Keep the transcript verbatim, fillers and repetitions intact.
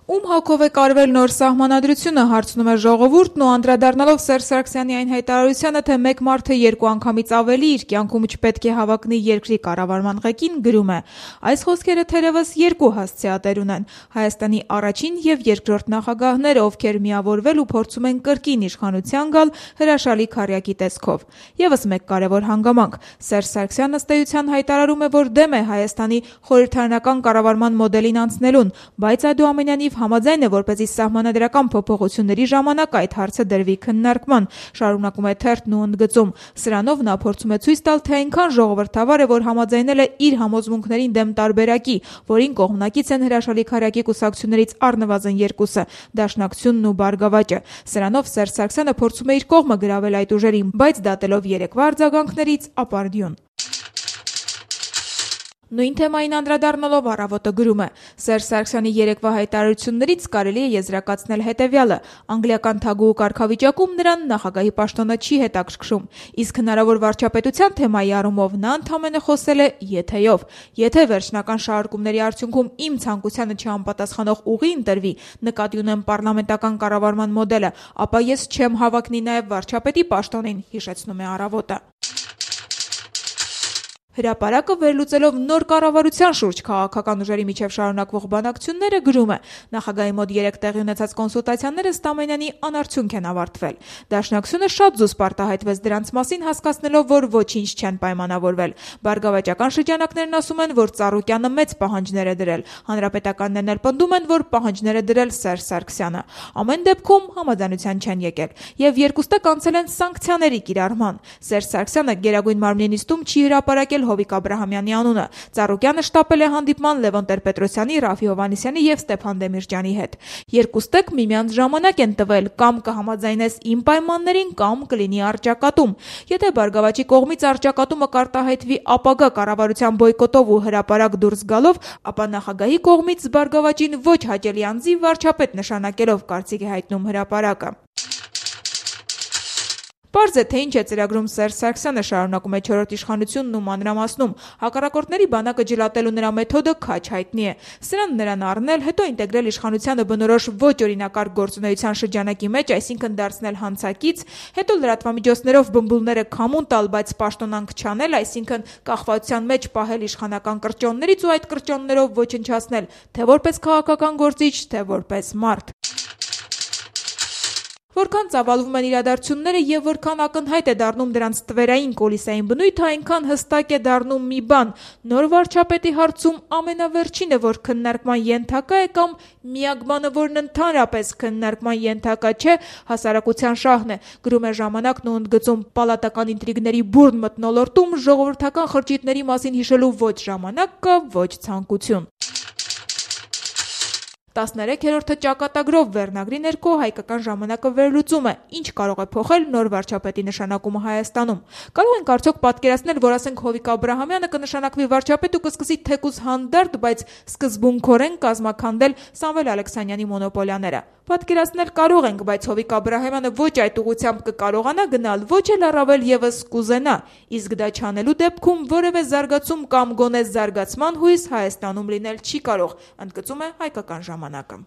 Ում հոգով է կարվել նոր սահմանադրությունը, հարցնում է ժողովուրդն ու անդրադառնալով Սերժ Սարգսյանի այն հայտարարությանը, թե մեկ մարդը երկու անգամից ավելի իր կյանքում չպետք է հավակնի երկրի կառավարման ղեկին, գրում է. այս խոսքերը թերևս երկու հասցեատեր ունեն. Հայաստանի առաջին եւ երկրորդ նախագահները, ովքեր միավորվել ու փորձում են կրկին իշխանության գալ հրաշալի քառյակի տեսքով։ Եվս մեկ կարևոր հանգամանք. Սերժ Սարգսյանն ըստ էության հայտարարում է, որ դեմ է Հայաստանի խորհրդարանական կառավարման մոդելին անցնելուն, բայց այդուամենայնիվ համաձայն է, որպեսզի սահմանադրական փոփոխությունների ժամանակ այդ հարցը դրվի քննարկման, շարունակում է թերթն ու ընդգծում. սրանով նա փորձում է ցույց տալ, թե այնքան ժողովրդավար է, որ համաձայնել է իր համոզմունքներին դեմ տարբերակի, որին կողմնակից են հրաշալի քառյակի կուսակցություններից առնվազն երկուսը՝ Դաշնակցությունն ու Բարգավաճը։ Սրանով Սերժ Սարգսյանը փորձում է իր կողմը գրավել այդ ուժերին, բայց դատելով երեկվա արձագանքներից ապարդյուն։ Նույն թեմային անդրադառնալով Առավոտը գրում է. Սերժ Սարգսյանի երեկվա հայտարարություններից կարելի է եզրակացնել հետևյալը. անգլիական թագուհու կարգավիճակում նրան նախագահի պաշտոնը չի հետաքրքրում, իսկ հնարավոր վարչապետության թեմայի առումով նա ընդամենը խոսել է եթեով։ Եթե վերջնական շարժումների արդյունքում իմ ցանկությանը չհամապատասխանող ուղի ընտրվի, նկատի ունեմ պառլամենտական կառավարման մոդելը, ապա ես չեմ հավակնի նաև վարչապետի պաշտոնին, հիշեցնում է Առավոտը։ Հրապարակը վերլուծելով նոր կառավարության շուրջ քաղաքական ուժերի միջև շարունակվող բանակցությունները գրում է. նախագահի մոտ երեք տեղի ունեցած կոնսուլտացիաները ստամենյանի անարդյունք են ավարտվել։ Դաշնակցությունը շատ զուսպ արտահայտվեց դրանց մասին, հասկացնելով, որ ոչինչ չեն պայմանավորվել։ Բարգավաճական շրջանակներն ասում են, որ Ծառուկյանը մեծ պահանջներ է դրել, հանրապետականներն էլ պնդում են, որ պահանջներ է դրել Սերժ Սարգսյանը։ Ամեն դեպքում համաձայնության չեն եկել, եւ երկուստը կանցել են սանկցիաների կիրառման։ Սերժ Սարգսյանը Գերագույն մարմնի նիստում չի հրապարակել Հովիկ Աբրահամյանի անունը։ Ծառուկյանը շտապել է հանդիպման Լևոն Տեր-Պետրոսյանի, Ռաֆի Հովհաննիսյանի եւ Ստեփան Դեմիրճյանի հետ։ Երկուստեք միմյանց ժամանակ են տվել, կամ կհամաձայնես իմ պայմաններին, կամ կլինի առճակատում։ Եթե Բարգավաճի կողմից առճակատումը կարտահայտվի ապագա կառավարության բոյկոտով ու հրապարակ դուրս գալով, ապա նախագահի կողմից Բարգավաճին ոչ հաճելի անձի վարչապետ նշանակելով, կարծիք է հայտնում հրապարակը։ Պարզ է, թե ինչ է ծրագրում Սերժ Սարգսյանը, շարունակում է չորրորդ իշխանությունն ու մանրամասնում։ Հակառակորդների բանակը ջլատելու նրա մեթոդը քաջ հայտնի է։ Սրան նրան առնել, հետո ինտեգրել իշխանությանը բնորոշ ոչ օրինակարգ գործունեության շրջանակի մեջ, այսինքն դարձնել հանցակից, հետո լրատվամիջոցներով բմբուլները քամուն տալ, բայց պաշտոնանք չանել, այսինքն կախվածության մեջ պահել իշխանական կրճոններից ու այդ կրճոններով ոչնչացնել, թե որպես քաղաքական գործիչ, թե որպես մարդ։ Որքան ծավալվում են իրադարձությունները եւ որքան ակնհայտ է դառնում դրանց տվերային կոլիսային բնույթը, այնքան հստակ է դառնում մի բան. նոր վարչապետի հարցում ամենավերջինը, որ քննարկման ենթակա է, կամ միակ բանը, որն ընդհանրապես քննարկման ենթակա չէ, հասարակության շահն է, գրում է Ժամանակն ու ընդգծում. պալատական ինտրիգների բուրն մթնոլորտում ժողովրդական խրճիթների մասին հիշելու ոչ ժամանակ կա, ոչ ցանկություն։ տասներեքերորդը ճակատագրով վերնագրի ներքո Հայկական ժամանակը վերլուծում է. ինչ կարող է փոխել նոր վարչապետի նշանակումը Հայաստանում։ Կարող ենք արդյոք պատկերացնել, որ ասենք Հովիկ Աբրահամյանը կնշանակվի վարչապետ ու կսկսի թեկուզ հանդարտ, բայց սկզբունքորեն կազմաքանդել Սամվել Ալեքսանյանի մոնոպոլիաները։ Պատկերացնել կարող ենք, բայց Հովիկ Աբրահամյանը ոչ այդ ուղղությամբ կկարողանա գնալ, ոչ էլ առավել եւս կուզենա, իսկ դա չանելու դեպքում որևէ զարգացում կամ գոնե զարգացման հույս Հայաստանում լինել չի կարող, ընդգծում է Հայկական ժամանակը։